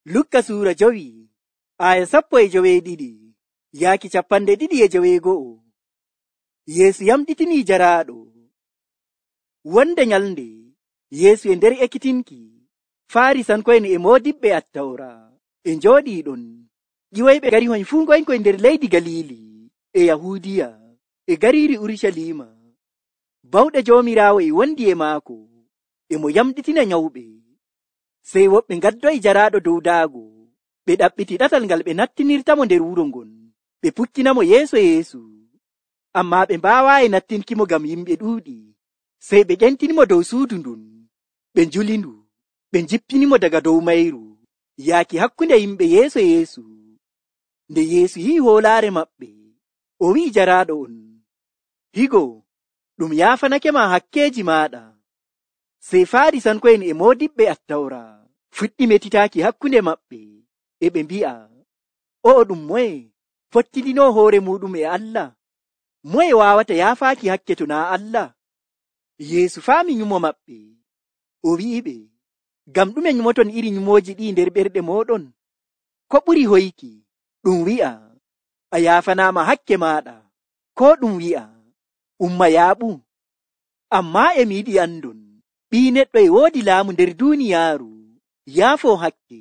Lukka suura 5 aya 12 yaaki 22. Yeesu yamɗitinii jaraaɗo. Wonde nyalnde Yeesu e nder ekkitinki, Faarisanko'en e moodiɓɓe Attawra e njooɗii ɗon. ƴiwoyɓe gari hoy fuu ngonkoy nder leydi Galiili e Yahuudiya e gariiri Urucaliima. Bawɗe Joomiraawo e wondi e maako, e mo yamɗitina nyawɓe. Sey woɓɓe ngaddoyi jaraaɗo dow daago, ɓe ɗaɓɓiti ɗatal ngal ɓe nattinirtamo nder wuro ngon, ɓe pukkinamo yeeso Yeesu. Ammaa ɓe mbaawaayi nattinkimo ngam yimɓe ɗuuɗi. Sey ɓe ƴentinimo dow suudu ndun, ɓe njulindu, ɓe njippinimo daga dow mayru, yaaki hakkunde yimɓe yeeso Yeesu. Nde Yeesu yi'i hoolaare maɓɓe, o wi'i jaraaɗo on, “Higo, ɗum yaafanakema hakkeeji maaɗa.” Sey Faarisanko'en e moodiɓɓe Attawra fuɗɗi metitaaki hakkunde maɓɓe, e ɓe mbi'a, “O'o ɗum moye fottidinoo hoore muuɗum e Allah? Moye waawata yaafaaki hakke to naa Allah?” Yeesu faami nyumo maɓɓe, o wi'iɓe, “Ngam ɗume nyumoton iri nyumooji ɗi nder ɓerɗe mooɗon? Ko ɓuri hoyki, ɗum wi'a, ‘A yaafanaama hakke maaɗa,’ koo ɗum wi'a, ‘Umma yaaɓu?’ Ammaa e mi yiɗi andon, Ɓii Neɗɗo e woodi laamu nder duuniyaaru, yaafoo hakke.”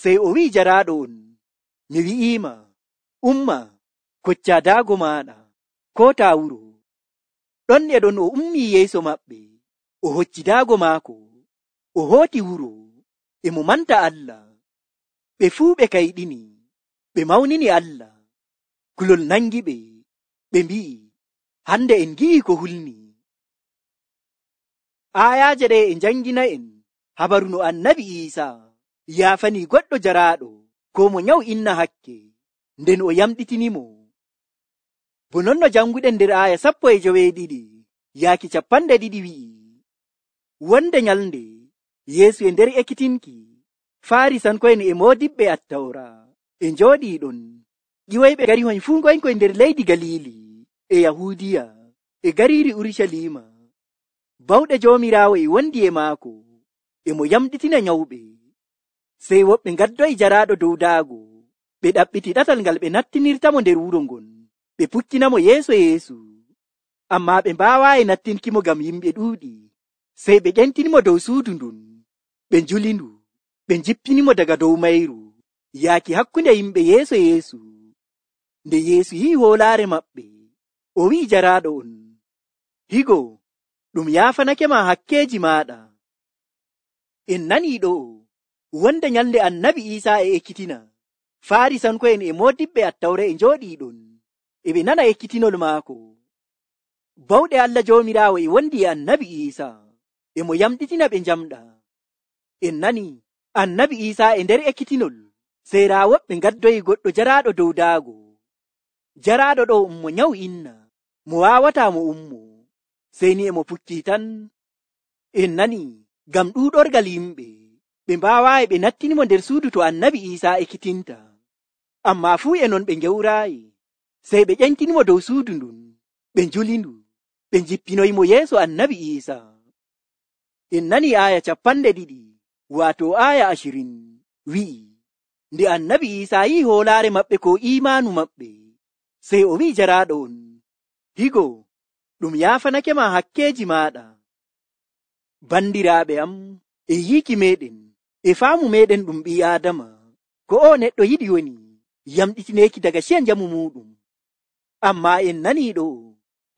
Sey o wi'i jaraaɗo on, “Mi wi'iima, umma, koccaa daago maaɗa, kootaa wuro.” Ɗon e ɗon o ummii yeeso maɓɓe, o hocci daago maako, o hooti wuro, e mo manta Allah. Ɓe fuu ɓe kayɗini, ɓe mawnini Allah. Kulol nangi ɓe, ɓe mbi'i, “Hande en ngi'i ko hulni.” Aayaaje ɗe e njangina'en habaru no Annabi Iisaa yaafanii goɗɗo jaraaɗo ko mo nyawu inna hakke, nden o yamɗitinimo. Bo non no janguɗen nder aaya 12 yaaki 20 wi'i, wonde nyalnde Yeesu e nder ekkitinki, Faarisanko'en e moodiɓɓe Attawra e njooɗii ɗon. ƴiwoyɓe gari hoy fuu ngonkoy nder leydi Galiili e Yahuudiya e gariiri Urucaliima. Bawɗe Joomiraawo e wondi e maako, e mo yamɗitina nyawɓe. Sey woɓɓe ngaddoyi jaraaɗo dow daago, ɓe ɗaɓɓiti ɗatal ngal ɓe nattinirtamo nder wuro ngon, ɓe pukkinamo yeeso Yeesu. Ammaa ɓe mbaawaayi nattinkimo ngam yimɓe ɗuuɗi. Sey ɓe ƴentinimo dow suudu ndun, ɓe njulindu, ɓe njippinimo daga dow mayru, yaaki hakkunde yimɓe yeeso Yeesu. Nde Yeesu yi'i hoolaare maɓɓe, o wi'i jaraaɗo on, “Higo, ɗum yaafanakema hakkeeji maaɗa.” En nanii ɗo'o, wonde nyalnde Annabi Iisaa e ekkitina, Faarisanko'en e moodiɓɓe Attawra e njooɗii ɗon, e ɓe nana ekkitinol maako. Bawɗe Allah Joomiraawo e wondi e Annabi Iisaa, e mo yamɗitina ɓe njamɗa. En nani Annabi Iisaa e nder ekkitinol, sey raa woɓɓe ngaddoyi goɗɗo jaraaɗo dow daago. Jaraaɗo ɗo mo nyawu inna, mo waawataa mo ummo, sey ni e mo pukkii tan. En nani ngam ɗuuɗorgal yimɓe, ɓe mbaawaayi ɓe nattinimo nder suudu to Annabi Iisaa ekkitinta. Ammaa fuu e non ɓe ngewraayi, sey ɓe ƴentinimo dow suudu ndun, ɓe njulindu, ɓe njippinoyimo yeeso Annabi Iisaa. En nani aaya 20, waato aaya 20, wi'i, nde Annabi Iisaa yi'i hoolaare maɓɓe ko iimaanu maɓɓe, sey o wi'i jaraaɗo on, “Higo, ɗum yaafanakema hakkeeji maaɗa.” Bandiraaɓe am, e yiiki meɗen, e faamu meɗen ɗum ɓii Aadama, ko o neɗɗo yiɗi woni yamɗitineeki daga ciya njamu muuɗum. Ammaa en nanii ɗo,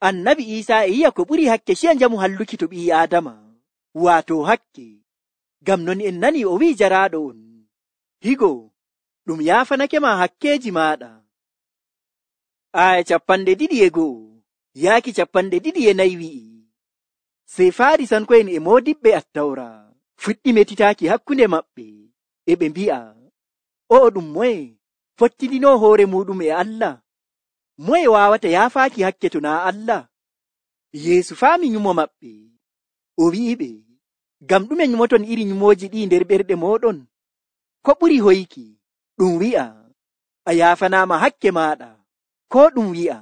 Annabi Iisaa e yi'a ko ɓuri hakke ciya njamu halluki to ɓii Aadama, waato hakke. Ngam non en nanii o wi'i jaraaɗo on, “Higo, ɗum yaafanakema hakkeeji maaɗa.” Aaya 21 yaaki 24 wi'i, sey Faarisanko'en e moodiɓɓe Attawra fuɗɗi metitaaki hakkunde maɓɓe, e ɓe mbi'a, “O'o ɗum moye fottidinoo hoore muuɗum e Allah? Moye waawata yaafaaki hakke to naa Allah?” Yeesu faami nyumo maɓɓe, o wi'iɓe, “Ngam ɗume nyumoton iri nyumooji ɗi nder ɓerɗe mooɗon? Ko ɓuri hoyki, ɗum wi'a, ‘A yaafanaama hakke maaɗa,’ koo ɗum wi'a,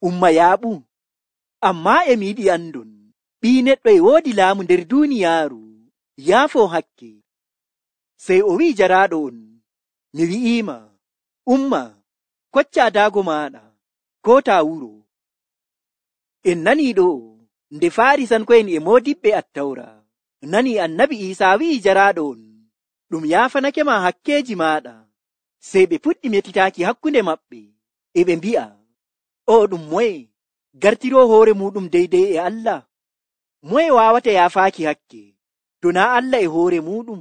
‘Umma yaaɓu?’ Ammaa e mi yiɗi andon, Ɓii Neɗɗo e woodi laamu nder duuniyaaru, yaafoo hakke.” Sey o wi'i jaraaɗo on, mi wi'iima, umma, koccaa daago maaɗa, ko taa wuro. En nanii ɗo nde Faarisanko'en e moodiɓɓe Attawra nanii Annabi Iisaa wi'i jaraaɗo on, ɗum yaafanake ma hakkeeji maaɗa. Sey ɓe puɗɗi metitaaki hakkunde maɓɓe, e ɓe mbi'a, o ɗum moye gartiroo hoore muuɗum deydey e Allah? Moye waawata yaafaaki hakke to naa Allah e hoore muuɗum?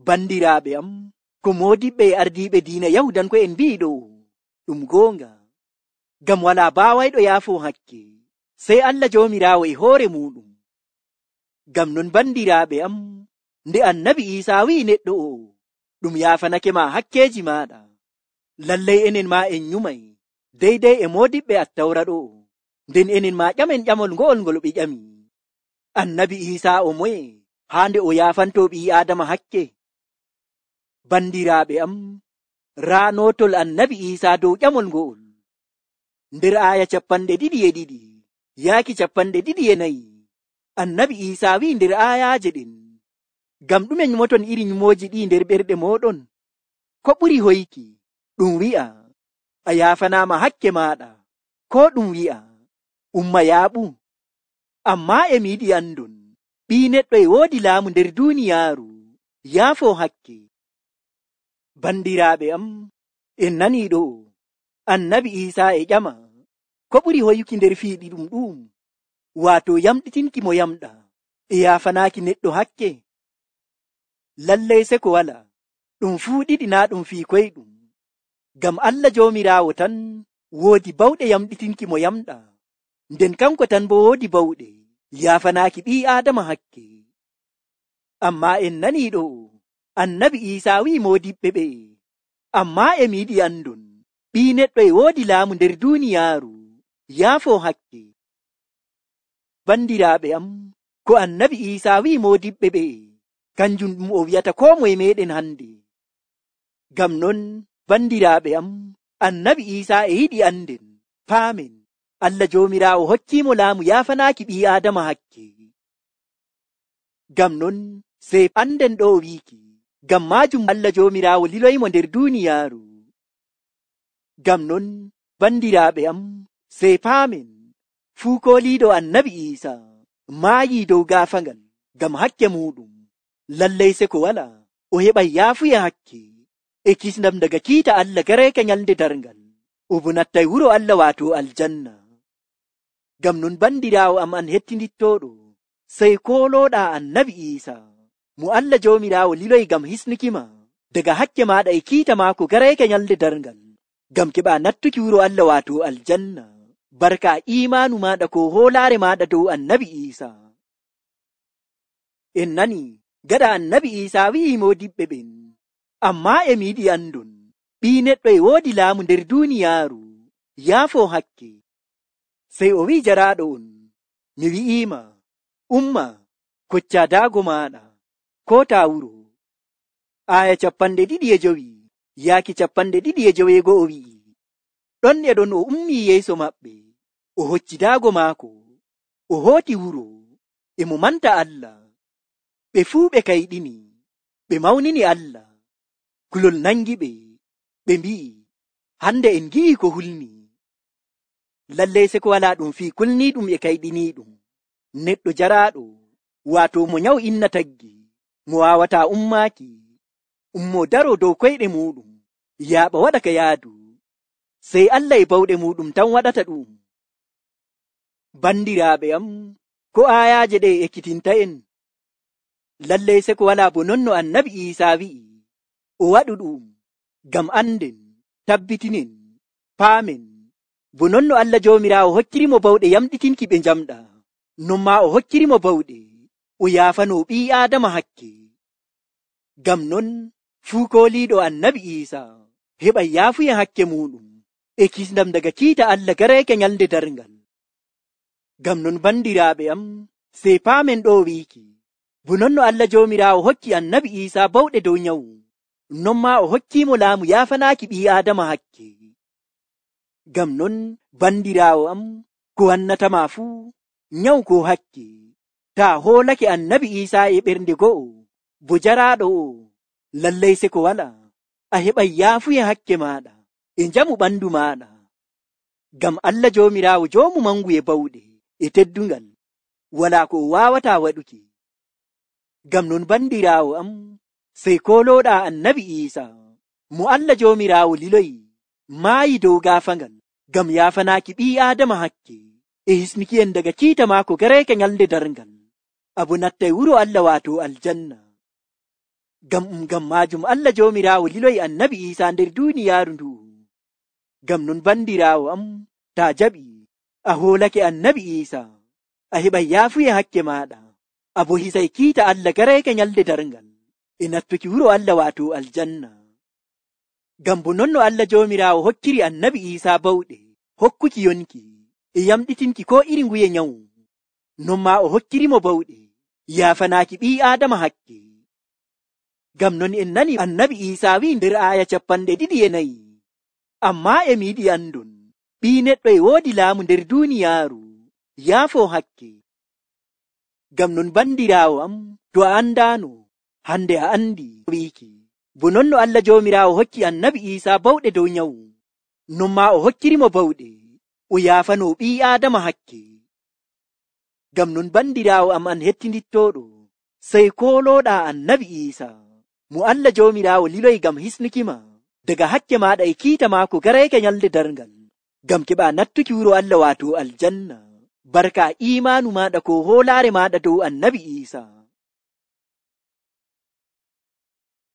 Bandiraaɓe am, ko moodiɓɓe e ardiiɓe diina Yahudanko'en mbi'i ɗo ɗum goonga, ngam walaa baawayɗo yaafoo hakke sey Allah Joomiraawo e hoore muuɗum. Ngam non bandiraaɓe am, nde Annabi Iisaa wi'i neɗɗo o, ɗum yaafanake ma hakkeeji maaɗa, lallay enen maa en nyumay deydey e moodiɓɓe Attawra ɗo, nden enen maa ƴamen ƴamol ngo'ol ngol ɓe ƴami. Annabi Iisaa o moye haa nde o yaafantoo ɓii Aadama hakke? Bandiraaɓe am, raanootol Annabi Iisaa dow ƴamol ngo'ol nder aaya 22 yaaki 24. Annabi Iisaa wi'i nder aayaaje ɗen, ngam ɗume nyumoton iri nyumooji ɗi nder ɓerɗe mooɗon? Ko ɓuri hoyki, ɗum wi'a, a yaafanaama hakke maaɗa, ko ɗum wi'a, umma yaaɓu? Ammaa e mi yiɗi andon, ɓii neɗɗo e woodi laamu nder duuniyaaru yaafoo hakke. Bandiraaɓe am, en nanii ɗo Annabi Iisaa e ƴama ko ɓuri hoyuki nder fiiɗi ɗum, waato yamɗitinki mo yamɗa e yaafanaaki neɗɗo hakke. Lallay se ko wala, ɗum fuu ɗiɗi naa ɗum fii koyɗum, ngam Allah Joomiraawo tan woodi bawɗe yamɗitinki mo yamɗa, nden kanko tan bo woodi bawɗe yaafanaaki ɓii Aadama hakke. Ammaa en nanii ɗo Annabi Iisaa wi'i moodiɓɓe ɓe, ammaa e mi yiɗi andon, ɓii neɗɗo e woodi laamu nder duuniyaaru yaafoo hakke. Bandiraaɓe am, ko Annabi Iisaa wi'i moodiɓɓe ɓe, kanjum ɗum o wi'ata koo moye meeɗen hande. Ngam non, bandiraaɓe am, Annabi Iisaa e yiɗi anden, paamen, Allah Joomiraawo hokkiimo laamu yaafanaaki ɓii Aadama hakke. Ngam non, sey anden ɗo wiiki, ngam maajum Allah Joomiraawo liloymo nder duuniyaaru. Ngam non, bandiraaɓe am, sey paamen, fuu kooliiɗo Annabi Iisaa maayii dow gaafangal ngam hakke muuɗum. Lallay se ko wala, o heɓay yaafuya hakke e kisndam daga kiita Allah gareeka nyalnde darngal, o bo nattay wuro Allah waato aljanna. Ngam non bandiraawo am an hettindittooɗo, sey koolooɗaa Annabi Iisaa mo Allah Joomiraawo liloy ngam hisnukima daga hakke maaɗa e kiita maako gareeka nyalnde darngal, ngam keɓaa nattuki wuro Allah waato aljanna, barka iimaanu maaɗa ko hoolaare maaɗa dow Annabi Iisaa. En nani gaɗa Annabi Iisaa wi'i moodiɓɓe ɓen, ammaa e mi yiɗi andon, ɓii neɗɗo e woodi laamu nder duuniyaaru yaafoo hakke. Sey o wi'i jaraaɗo on, mi wi'iima, umma, koccaa daago maaɗa, ko taa wuro. Aaya 25 yaaki 25 o wi'i, ɗon e ɗon o ummii yeeso maɓɓe, o hocci daago maako, o hooti wuro, e mo manta Allah. Ɓe fuu ɓe kayɗini, ɓe mawnini Allah. Kulol nangi ɓe mbi'i, hande en gi'i ko hulni. Lallay se ko walaa ɗum fii kulniiɗum e kayɗiniiɗum. Neɗɗo jaraaɗo, waato mo nyaw inna taggi, mo waawataa ummaaki, ummo daroo dow koyɗe muuɗum, yaaɓa waɗa ka yaadu, sey Allah e bawɗe muuɗum tan waɗata ɗum. Bandiraaɓe am, ko aayaaje ɗe ekkitinta en. Lallay se ko walaa bo non no Annabi Iisaa wi'i, o waɗu ɗum ngam anden, tabbitinen, paamen, bo non no Allah Joomiraawo hokkirimo bawɗe yamɗitinki ɓe njamɗa, non maa o hokkirimo bawɗe o yaafanoo ɓii Aadama hakke. Ngam non, fuu kooliiɗo Annabi Iisaa heɓay yaafuya hakke muuɗum e kisndam daga kiita Allah gareeke nyalnde darngal. Ngam non bandiraaɓe am, sey paamen ɗo wiiki, bo non no Allah Joomiraawo hokki Annabi Iisaa bawɗe dow nyawu, non maa o hokkiimo laamu yaafanaaki ɓii Aadama hakke. Ngam non bandiraawo am, ko wannatama fuu nyawu ko hakke, taa hoolake Annabi Iisaa e ɓernde go'o, bo jaraaɗo o lallay se ko wala a heɓay yaafuye hakke maaɗa e njamu ɓandu maaɗa. Ngam Allah Joomiraawo joomu mangu e bawɗe e teddungal, walaa ko o waawataa waɗuki. Ngam non bandiraawo am, sey koolooɗaa Annabi Iisaa mo Allah Joomiraawo liloyi maayi dow gaafangal ngam yaafanaaki ɓii Aadama hakke e hisnuki'en daga kiita maako gareeke nyalnde darngal, abo nattay wuro Allah waato aljanna. Ngam maajum Allah Joomiraawo liloyi Annabi Iisaa nder duuniyaaru ndu'u. Ngam non bandiraawo am, taa jaɓi a hoolake Annabi Iisaa, a heɓay yaafuye hakke maaɗa, abo hisay kiita Allah gareeke nyalnde darngal e nattuki wuro Allah waato aljanna. Ngam bo non no Allah Joomiraawo hokkiri Annabi Iisaa bawɗe hokkuki yonki e yamɗitinki ko iri nguye nyawu, non maa o hokkirimo bawɗe yaafanaaki ɓii Aadama hakke. Ngam non en nani Annabi Iisaa wi'i nder aaya 24, ammaa emi yiɗi andon ɓii neɗɗo e woodi laamu nder duuniyaaru yaafoo hakke. Ngam non bandiraawo am, to a andaano, hande a andi wiiki. Bo non no Allah Joomiraawo hokki Annabi Iisaa bawɗe dow nyawu, non maa o hokkirimo bawɗe o yaafanoo ɓii Aadama hakke. Ngam non bandiraawo am an hettindittooɗo, sey koolooɗaa Annabi Iisaa mo Allah Joomiraawo liloyi ngam hisnukima daga hakke maaɗa e kiita maako gareeke nyalnde darngal, ngam keɓaa nattuki wuro Allah waato aljanna, barka iimaanu maaɗa ko hoolaare maaɗa dow Annabi Iisaa.